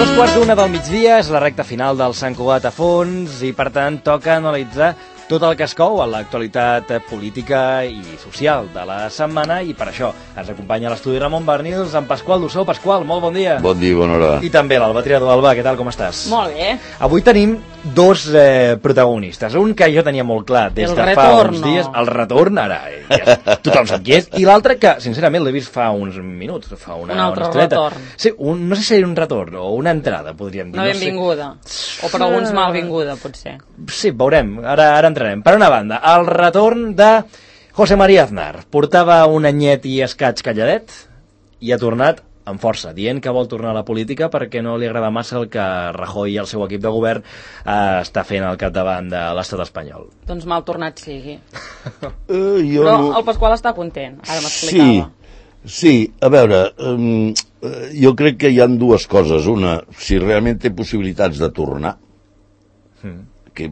2:15 del migdia, és la recta final del Sant Cugat a fons i, per tant, toca analitzar tot el que es cou a l'actualitat política i social de la setmana, i per això ens acompanya a l'estudi Ramon Barnils amb Pasqual Dussó. Pasqual, molt bon dia. Bon dia i bona hora. I també l'Alba Triador. Alba, què tal, com estàs? Molt bé. Avui tenim dos protagonistes. Un que jo tenia molt clar des de fa uns dies. El retorn, ara ja tothom sap qui és. I l'altre que, sincerament, l'he vist fa uns minuts, fa una altre estoneta. retorn. Sí, no sé si era un retorn o una entrada, podríem dir. Una benvinguda. O per alguns malvinguda, potser. Sí, veurem. Ara entrarem. Per una banda, el retorn de José María Aznar. Portava un anyet i escaig calladet i ha tornat amb força, dient que vol tornar a la política perquè no li agrada massa el que Rajoy i el seu equip de govern està fent al capdavant de l'estat espanyol. Doncs mal tornat sigui. Però el Pasqual està content, ara m'explicava. Sí, a veure, jo crec que hi ha dues coses. Una, si realment té possibilitats de tornar, o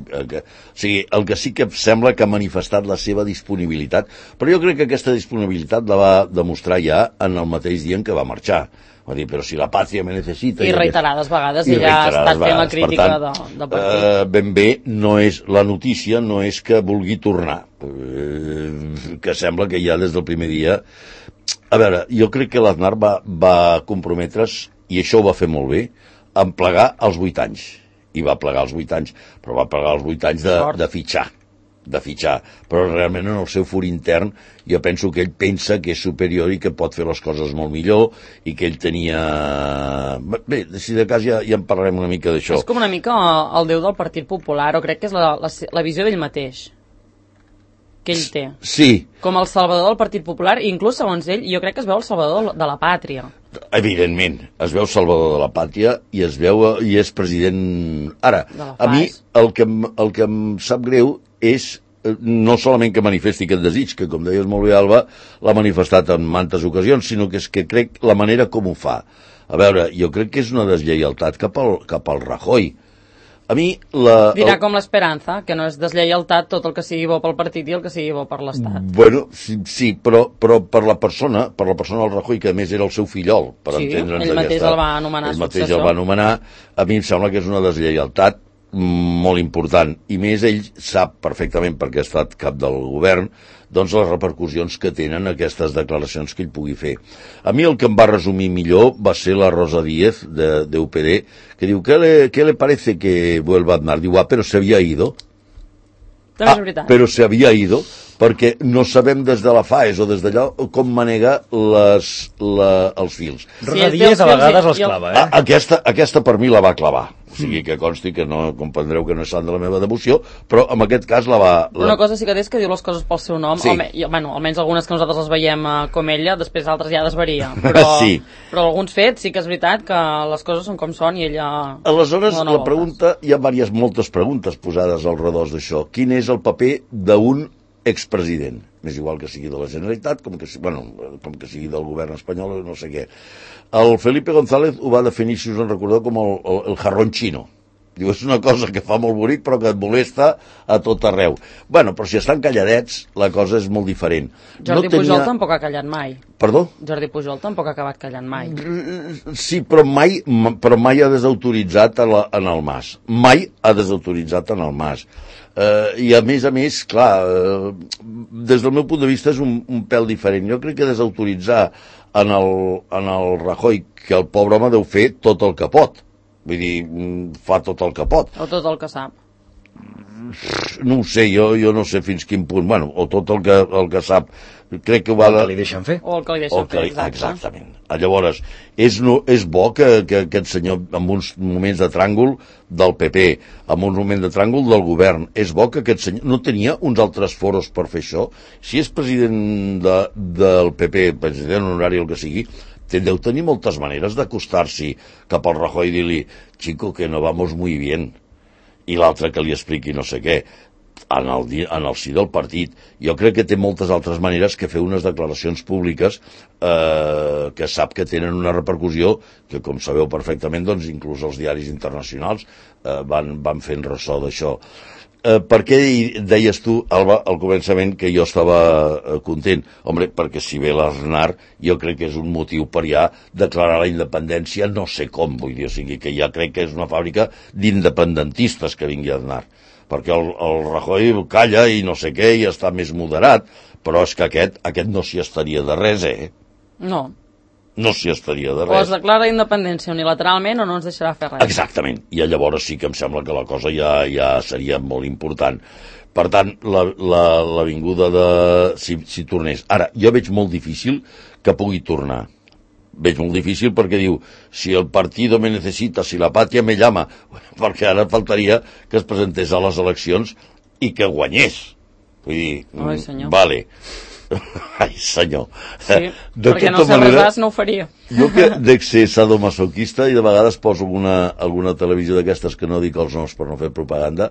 sigui, el que sí que sembla que ha manifestat la seva disponibilitat, però jo crec que aquesta disponibilitat la va demostrar ja en el mateix dia en què va marxar. Va dir, però si la pàtria me necessita... I reiterades vegades, i ja ha estat fent la crítica del partit. Ben bé, no és la notícia, no és que vulgui tornar, que sembla que ja des del primer dia... A veure, jo crec que l'Aznar va comprometre's, i això ho va fer molt bé, en plegar als 8 anys. I va plegar als 8 anys, però va plegar als 8 anys de fitxar, però realment en el seu fur intern jo penso que ell pensa que és superior i que pot fer les coses molt millor i que ell tenia... Bé, si de cas ja en parlarem una mica d'això. És com una mica el déu del Partit Popular, o crec que és la visió d'ell mateix que ell té. Sí. Com el salvador del Partit Popular, i inclús segons ell, jo crec que es veu el salvador de la pàtria. Evidentment, es veu salvador de la pàtria i es veu i és president... Ara, a mi el que em sap greu és no solament que manifesti aquest desig, que com deies molt bé, Alba, l'ha manifestat en mantes ocasions, sinó que és que crec la manera com ho fa. A veure, jo crec que és una deslleialtat cap al Rajoy. A mi dirà com l'Esperanza, que no és deslleialtat tot el que sigui bo pel partit i el que sigui bo per l'Estat. Bueno, sí, però per la persona del Rajoy, que a més era el seu fillol, per entendre'ns. Ell mateix el va anomenar successor. Ell mateix el va anomenar. A mi em sembla que és una deslleialtat molt important, i més ell sap perfectament, perquè ha estat cap del govern, doncs les repercussions que tenen aquestes declaracions que ell pugui fer. A mi el que em va resumir millor va ser la Rosa Díez de UPD, que diu, ¿qué le parece que vuelva Aznar? Diu, però se había ido. També és veritat. Però se había ido, perquè no sabem des de la FAES o des d'allò com manega els fils. Rosa Díez a vegades els clava, Aquesta per mi la va clavar. O sigui, que consti que no comprendreu que no és sant de la meva devoció, però en aquest cas la va... Una cosa sí que és que diu les coses pel seu nom, sí. Almenys algunes que nosaltres les veiem com ella, després altres ja desvaria, però, sí. Però alguns fets sí que és veritat que les coses són com són i ella... Aleshores, la pregunta, hi ha moltes preguntes posades al redós d'això. Quin és el paper d'un expresident? M'és igual que sigui de la Generalitat, com que sigui del govern espanyol, no sé què. El Felipe González ho va definir, si us en recordeu, com el jarrón xino. Diu, és una cosa que fa molt bonic però que et molesta a tot arreu. Bueno, però si estan calladets, la cosa és molt diferent. Jordi Pujol tampoc ha callat mai. Perdó? Jordi Pujol tampoc ha acabat callant mai. Sí, però mai ha desautoritzat en el Mas. Mai ha desautoritzat en el Mas. I a més, clar, des del meu punt de vista és un pèl diferent. Jo crec que desautoritzar en el Rajoy, que el pobre home deu fer tot el que pot. Vull dir, fa tot el que pot. O tot el que sap. No ho sé, jo no sé fins quin punt. Bueno, o tot el que sap. Crec que ho va... O el que li deixen fer. O el que li deixen fer, exactament. Llavors, és bo que aquest senyor, en uns moments de tràngol del PP, en uns moments de tràngol del govern, és bo que aquest senyor no tenia uns altres foros per fer això. Si és president del PP, president honorari, el que sigui, deu tenir moltes maneres d'acostar-s'hi cap al Rajoy i dir-li, chico, que no vamos muy bien, i l'altre que li expliqui no sé què, en el si del partit. Jo crec que té moltes altres maneres que fer unes declaracions públiques que sap que tenen una repercussió que, com sabeu perfectament, doncs inclús els diaris internacionals van fent ressò d'això. per què deies tu, Alba, al començament que jo estava content? Home, perquè si ve l'Aznar, jo crec que és un motiu per ja declarar la independència, no sé com, vull dir, o sigui, que ja crec que és una fàbrica d'independentistes que vingui Aznar, perquè el Rajoy calla i no sé què, i està més moderat, però és que aquest no s'hi estaria de res, No. No s'hi estaria de O es res. declara independència unilateralment o no ens deixarà fer res. Exactament, i llavors sí que em sembla que la cosa ja seria molt important. Per tant, la vinguda de... Si tornés. Ara, jo veig molt difícil que pugui tornar. Veig molt difícil perquè diu, si el partido me necesita, si la patria me llama, perquè ara faltaria que es presentés a les eleccions i que guanyés. Vull dir, Ai, senyor. vale. Ai, senyor. Sí, De perquè no tota sé manera, res, no ho faria. jo que dec ser sadomasoquista i de vegades poso alguna televisió d'aquestes que no dic els noms per no fer propaganda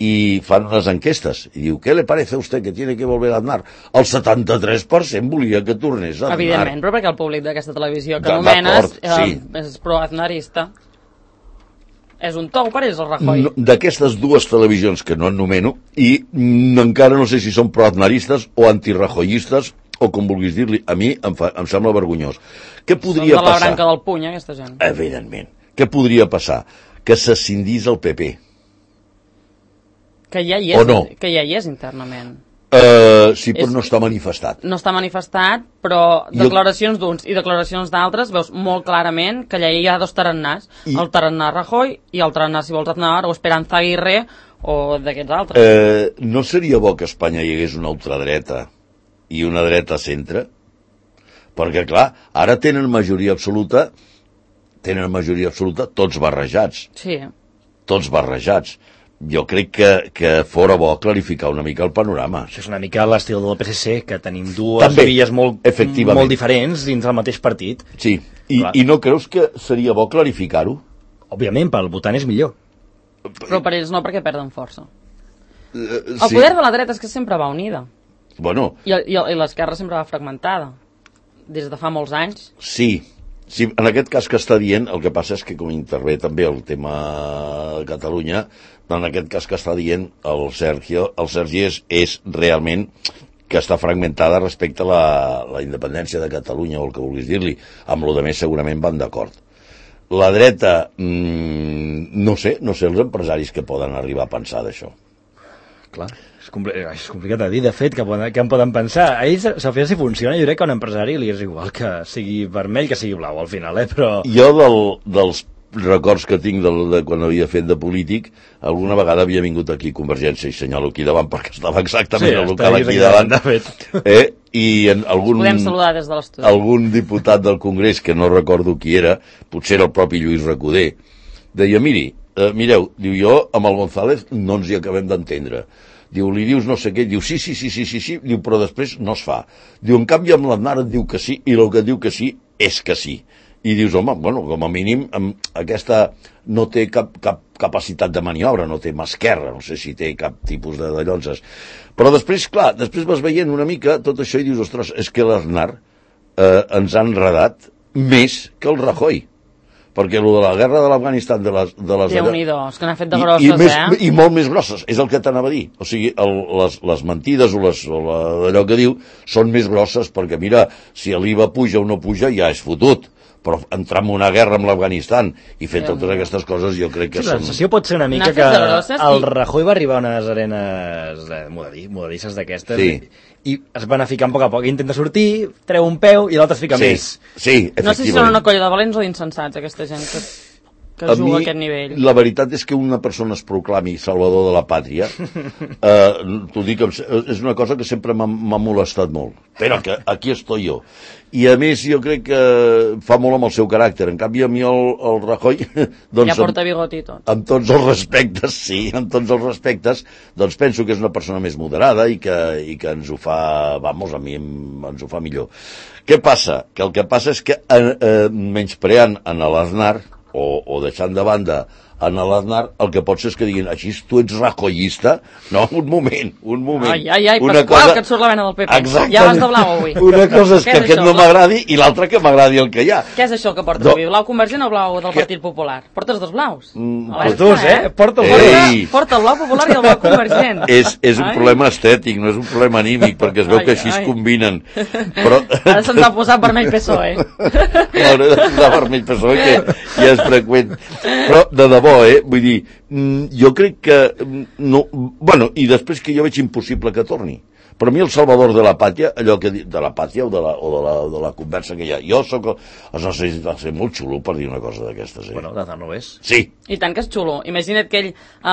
i fan unes enquestes i diu, ¿qué le parece a usted que tiene que volver a Aznar? El 73% volia que tornés a Aznar. Evidentment, però perquè el públic d'aquesta televisió que D'acord, anomenes sí. és pro-aznarista. És un tou per ells, el Rajoy. No, d'aquestes dues televisions que no ennomeno i encara no sé si són pro-aznaristes o antirrajoyistes o com vulguis dir-li, a mi em sembla vergonyós. Què Són podria de la passar? branca del puny, aquesta gent. Evidentment. Què podria passar? Que s'escindís el PP. Que ja hi O és, no? que ja hi és internament. Sí, però no està manifestat. No està manifestat, però declaracions d'uns i declaracions d'altres veus molt clarament que allà hi ha dos tarannàs. El tarannà Rajoy i el tarannà, si vols, Aznar o Esperanza Aguirre o d'aquests altres. No seria bo que a Espanya hi hagués una ultradreta i una dreta centre? Perquè, clar, ara tenen majoria absoluta tots barrejats. Sí. Tots barrejats. Jo crec que fora bo clarificar una mica el panorama. Això és una mica l'estil del PSC, que tenim dues També, vies molt efectivament. diferents dins del mateix partit. Sí, Clar. i no creus que seria bo clarificar-ho? Òbviament, pel votant és millor. Però per ells no, perquè perden força. El Sí. poder de la dreta és que sempre va unida. Bueno, I l'esquerra sempre va fragmentada. Des de fa molts anys. sí, en aquest cas que està dient, el que passa és que com intervé també el tema de Catalunya, en aquest cas que està dient el Sergi és realment que està fragmentada respecte a la independència de Catalunya o el que vulguis dir-li. Amb lo de més segurament van d'acord. La dreta, no sé els empresaris que poden arribar a pensar d'això. Clar, és complicat de dir, de fet, que en poden pensar. A ells, al final, si funciona, jo crec que a un empresari li és igual que sigui vermell que sigui blau, al final, però... Jo dels records que tinc de quan havia fet de polític, alguna vegada havia vingut aquí Convergència i senyalo aquí davant perquè estava exactament al local aquí davant. De fet. I en Podem saludar des de l'estudi. algun diputat del Congrés, que no recordo qui era, potser era el propi Lluís Recoder, deia, mireu, diu, jo amb el González no ens hi acabem d'entendre. Diu, li dius no sé què, diu, sí, diu, però després no es fa. Diu, en canvi amb l'Aznar et diu que sí, i el que et diu que sí és que sí. I dius, home, bueno, com a mínim aquesta no té cap capacitat de maniobra, no té mà esquerra, no sé si té cap tipus de llonzes. Però després, clar, després vas veient una mica tot això i dius, ostres, és que l'Aznar ens ha enredat més que el Rajoy. Perquè el de la guerra de l'Afganistan, de les Déu-n'hi-do, és que n'ha fet de grosses, I molt més grosses, és el que t'anava a dir. O sigui, les mentides o allò que diu són més grosses perquè, mira, si l'IVA puja o no puja ja és fotut, però entrar en una guerra amb l'Afganistan i fer totes aquestes coses jo crec que Sí, la són... sensació pot ser una mica que el Rajoy va arribar a unes arenes modernisses d'aquestes i es van anar ficant a poc, intenta sortir, treu un peu i l'altre es fica més. Sí, efectivament. No sé si són una colla de valents o d'insensats, aquesta gent que juga a aquest nivell. La veritat és que una persona es proclami salvador de la pàtria, t'ho dic, és una cosa que sempre m'ha molestat molt, però que aquí estoy jo. I a més jo crec que fa molt amb el seu caràcter. En canvi a mi el Rajoy doncs, ja porta bigot i tot. Amb tots els respectes, amb tots els respectes, doncs penso que és una persona més moderada i que ens ho fa, vamos, a mi ens ho fa millor. Què passa? Que el que passa és que menyspreant en l'Aznar o deixant de banda en l'Aznar, el que pot ser és que diguin, així tu ets rajoyista? No, un moment. Ai, Pasqual, que et surt la vena del PP. Exactament. Ja vas de blau avui. Una cosa és que aquest no m'agradi i l'altra que m'agradi el que hi ha. Què és això que portes avui? Blau convergent o blau del Partit Popular? Portes dos blaus? Els dos, Porta el blau popular i el blau convergent. És un problema estètic, no és un problema anímic, perquè es veu que així es combinen. Però... Ara se'ns ha posat vermell PSOE. Hauré de posar vermell PSOE, que ja és freqüent. Però, de debò, vull dir, jo crec que... No, bueno, i després que jo veig impossible que torni. Per mi el salvador de la pàtria, allò que de la pàtria de la conversa que hi ha. Jo soc... No sé, va ser molt xulo per dir una cosa d'aquestes. Bueno, de tant no és. Sí. I tant que és xulo. Imagina't que ell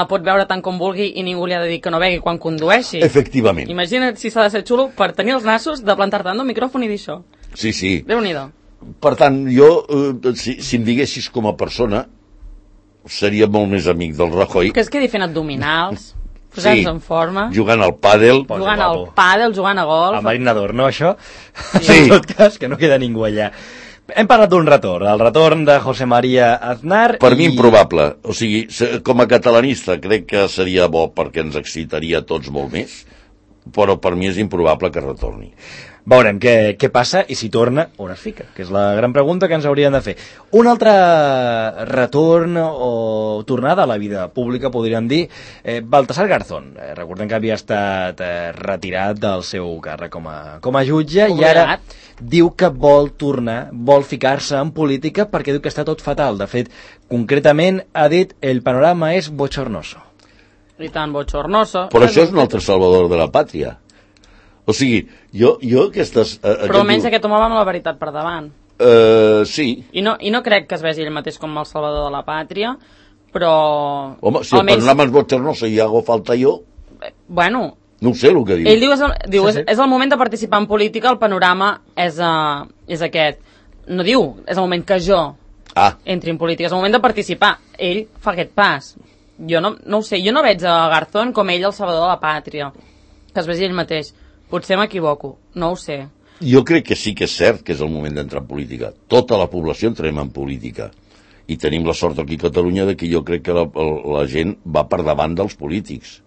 pot veure tant com vulgui i ningú li ha de dir que no begui quan condueixi. Efectivament. Imagina't si s'ha de ser xulo per tenir els nassos de plantar-te en un micròfon i dir això. Sí. Déu-n'hi-do. Per tant, jo, si em diguessis com a persona, seria molt més amic del Rajoy. Que es quedi fent abdominals, posant-se en forma. Jugant al pàdel. Jugant al pàdel, jugant a golf. El marinador, no, això? Sí. En tot cas, que no queda ningú allà. Hem parlat d'un retorn, el retorn de José María Aznar. Per mi improbable. O sigui, com a catalanista crec que seria bo perquè ens excitaria tots molt més, però per mi és improbable que retorni. Veurem què passa i si torna, on es fica, que és la gran pregunta que ens haurien de fer. Un altre retorn o tornada a la vida pública, podríem dir, Baltasar Garzón. Recordem que havia estat retirat del seu càrrec com a jutge i ara diu que vol tornar, vol ficar-se en política perquè diu que està tot fatal. De fet, concretament ha dit el panorama és bochornoso. I tant bochornoso. Però això és un altre salvador de la pàtria. O sigui, jo aquestes... Però almenys aquest home va amb la veritat per davant. Sí. I no crec que es vegi ell mateix com el salvador de la pàtria, però... Home, si el panorama és bochornoso i hago falta jo... Bueno... No ho sé el que diu. Ell diu és el moment de participar en política, el panorama és aquest. No diu, és el moment que jo entri en política, és el moment de participar. Ell fa aquest pas. Jo no ho sé, jo no veig a Garzón com ell el salvador de la pàtria, que es vegi ell mateix. Potser m'equivoco, no ho sé. Jo crec que sí que és cert que és el moment d'entrar en política. Tota la població entrem en política. I tenim la sort aquí a Catalunya de que jo crec que la gent va per davant dels polítics.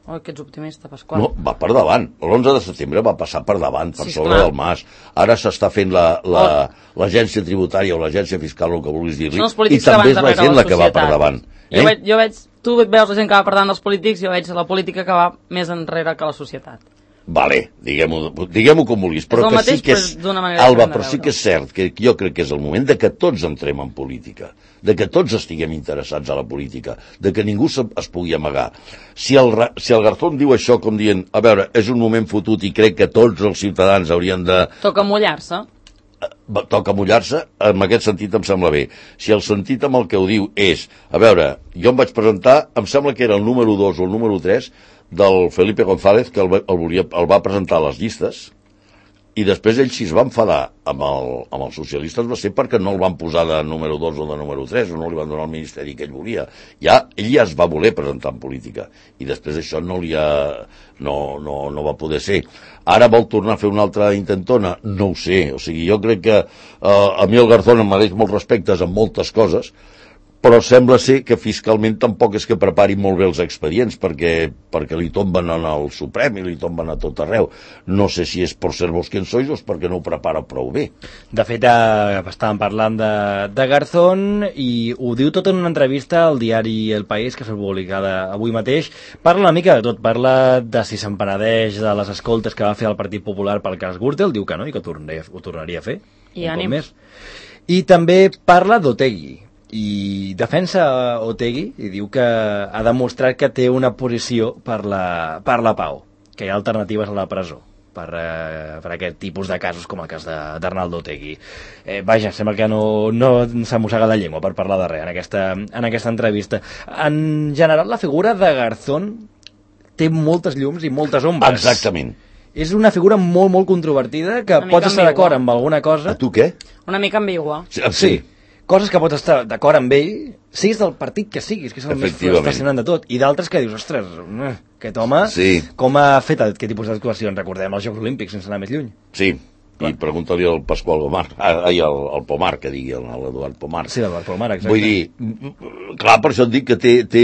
Oh, que ets optimista, Pasqual. No, va per davant. L'11 de setembre va passar per davant, per sobre del Mas. Ara s'està fent l'agència tributària o l'agència fiscal, el que vulguis dir-li, i també és la gent la que va per davant. Jo veig, tu veus la gent que va per davant dels polítics, jo veig la política que va més enrere que la societat. Vale, diguem-ho com vulguis, però que sí que és... Alba, però sí que és cert que jo crec que és el moment de que tots entrem en política, de que tots estiguem interessats a la política, de que ningú es pugui amagar. Si el Garzón diu això com dient, a veure, és un moment fotut i crec que tots els ciutadans haurien de... Toca mullar-se. Toca mullar-se, en aquest sentit em sembla bé. Si el sentit amb el que ho diu és, a veure, jo em vaig presentar, em sembla que era el número 2 o el número 3 del Felipe González, que el va presentar a les llistes, i després ell si es va enfadar amb els socialistes va ser perquè no el van posar de número 2 o de número 3, o no li van donar el ministeri que ell volia. Ell ja es va voler presentar en política, i després això no va poder ser. Ara vol tornar a fer una altra intentona? No ho sé, o sigui, jo crec que a mi el Garzón em mereix molts respectes en moltes coses, però sembla ser que fiscalment tampoc és que prepari molt bé els expedients perquè li tomben en el Suprem i li tomben a tot arreu. No sé si és per ser vos quien sois o és perquè no ho prepara prou bé. De fet, estàvem parlant de Garzón i ho diu tot en una entrevista al diari El País, que s'ha publicada avui mateix. Parla una mica de tot, parla de si se'n penedeix de les escoltes que va fer el Partit Popular pel cas Gürtel, diu que no i que ho tornaria a fer. I ànims. I també parla d'Otegi, i defensa Otegi i diu que ha demostrat que té una posició per la pau, que hi ha alternatives a la presó per aquest tipus de casos com el cas d'Arnaldo Otegi. Vaja, sembla que no s'ha mossegat la llengua per parlar de res en aquesta entrevista. En general, la figura de Garzón té moltes llums i moltes ombres. Exactament. És una figura molt, molt controvertida, que pots estar d'acord amb alguna cosa. A tu què? Una mica ambigua. Sí. Coses que pots estar d'acord amb ell, siguis del partit que siguis, que és el més fascinant de tot, i d'altres que dius, ostres, aquest home, com ha fet aquest tipus d'actuacions? Recordem els Jocs Olímpics, sense anar més lluny. Sí, I pregunta-li al Pasqual Gomar, al Pomar, que digui, l'Eduard Pomar. Sí, l'Eduard Pomar, exacte. Vull dir, clar, per això et dic que té...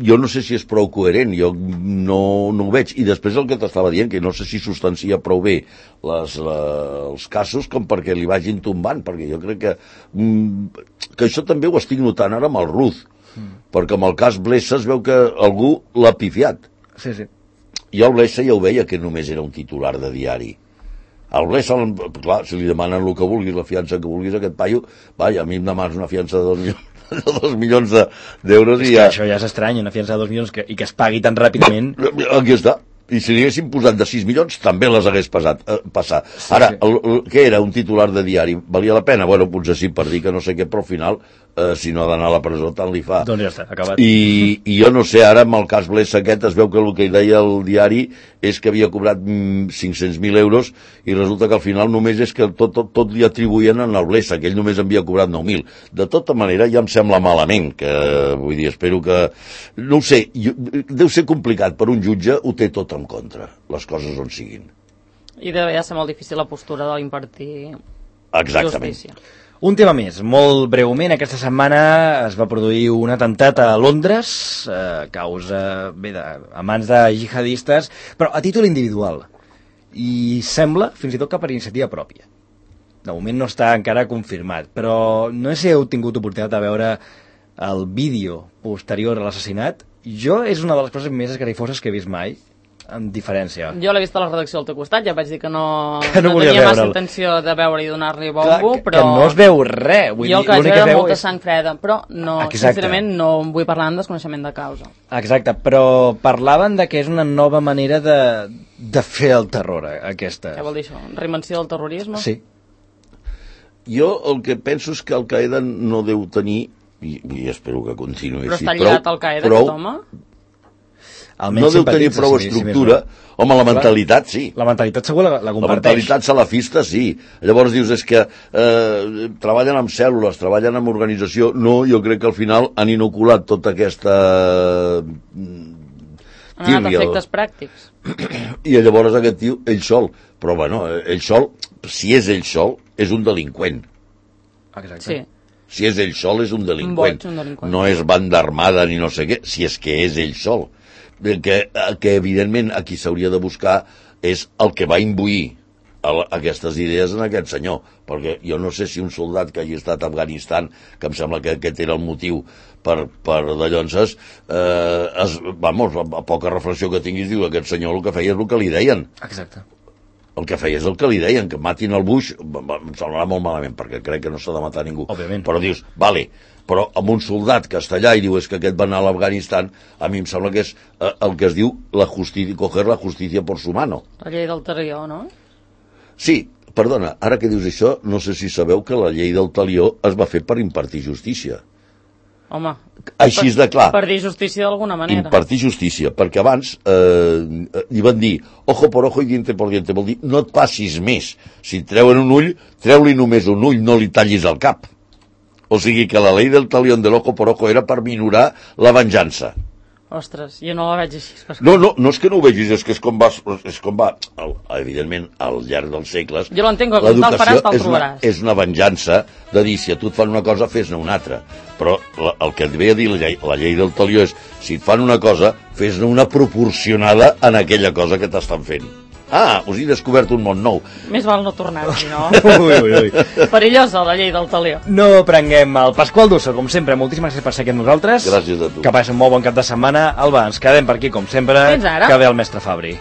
Jo no sé si és prou coherent, jo no ho veig. I després el que t'estava dient, que no sé si substancia prou bé els casos com perquè li vagin tombant, perquè jo crec que això també ho estic notant ara amb el Ruz, perquè amb el cas Blesa es veu que algú l'ha pifiat. Sí, sí. Jo el Blesa ja ho veia que només era un titular de diari. Al Blesa, clar, si li demanen el que vulguis, la fiança que vulguis, aquest paio, vaja, a mi em demanes una fiança de 2 milions d'euros i ja... Això ja és estrany, una fiança de 2 milions i que es pagui tan ràpidament. Aquí està. I si li haguessin posat de 6 milions, també les hagués passat. Ara, què era? Un titular de diari. Valia la pena? Bueno, potser sí, per dir que no sé què, però al final, si no ha d'anar a la presó, tant li fa. Doncs ja està, acabat. I jo no sé, ara amb el cas Blesa aquest, es veu que el que deia el diari és que havia cobrat 500.000 euros i resulta que al final només és que tot li atribuïen al Blesa, que ell només havia cobrat 9.000. De tota manera, ja em sembla malament, que vull dir, espero que... No ho sé, deu ser complicat per un jutge, ho té tot en contra, les coses on siguin. I deu ser molt difícil la postura de l'impartir justícia. Un tema més, molt breument, aquesta setmana es va produir un atemptat a Londres, a mans de jihadistes, però a títol individual, i sembla fins i tot que per iniciativa pròpia. De moment no està encara confirmat, però no sé si heu tingut oportunitat de veure el vídeo posterior a l'assassinat. Jo és una de les coses més esgarrifoses que he vist mai, amb diferència. Jo l'he vist a la redacció al teu costat, ja vaig dir que no volia tenia massa intenció de veure i donar-li bombo, però... Que no es veu res. Vull jo el que vaig veure molta sang freda, però no, sincerament no em vull parlar amb desconeixement de causa. Exacte, però parlaven de que és una nova manera de fer el terror, aquesta. Què vol dir això? Reinvenció del terrorisme? Sí. Jo el que penso és que el Qaeda no deu tenir, i espero que continuï així, però està lligat al Qaeda, aquest home? No deu tenir prou estructura. Home, la mentalitat sí. La mentalitat segur la comparteix. La mentalitat salafista sí. Llavors dius, és que treballen amb cèl·lules, treballen amb organització. No, jo crec que al final han inoculat tota aquesta... Han anat efectes pràctics. I llavors aquest tio, ell sol. Però bueno, ell sol, si és ell sol, és un delinqüent. Exacte. Sí. Si és ell sol, és un delinqüent. No és banda armada ni no sé què, si és que és ell sol. Que evidentment a qui s'hauria de buscar és el que va imbuir aquestes idees en aquest senyor, perquè jo no sé si un soldat que hagi estat a Afganistan, que em sembla que aquest era el motiu per dallonses, vamos, a poca reflexió que tinguis, diu, aquest senyor el que feia és el que li deien. Exacte. El que feia és el que li deien, que matin el Bush, em semblarà molt malament, perquè crec que no s'ha de matar ningú. Òbviament. Però dius, vale, però amb un soldat que està allà i diu és que aquest va anar a l'Afganistan, a mi em sembla que és el que es diu coger la justicia por su mano. La llei del talió, no? Sí, perdona, ara que dius això, no sé si sabeu que la llei del talió es va fer per impartir justícia. Home, així de clar. Per dir justícia d'alguna manera. Impartir justícia, perquè abans li van dir ojo por ojo i diente por diente, vol dir no et passis més. Si et treuen un ull, treu-li només un ull, no li tallis el cap. O sigui que la llei del talión del ojo por ojo era per minorar la venjança. Ostres, jo no la veig així. No és que no ho vegis, és que és com va evidentment, al llarg dels segles, jo l'entenc, com te'l faràs, te'l trobaràs. És una venjança de dir, si a tu et fan una cosa, fes-ne una altra. Però el que et ve a dir la llei del talió és, si et fan una cosa, fes-ne una proporcionada en aquella cosa que t'estan fent. Us he descobert un món nou. Més val no tornar-hi, no? Ui. Perillosa, la llei del talió. No prenguem el Pasqual Dusso, com sempre. Moltíssimes gràcies per ser aquí amb nosaltres. Gràcies a tu. Que passi un molt bon cap de setmana. Alba, ens quedem per aquí, com sempre. Fins ara. Que ve el mestre Fabri.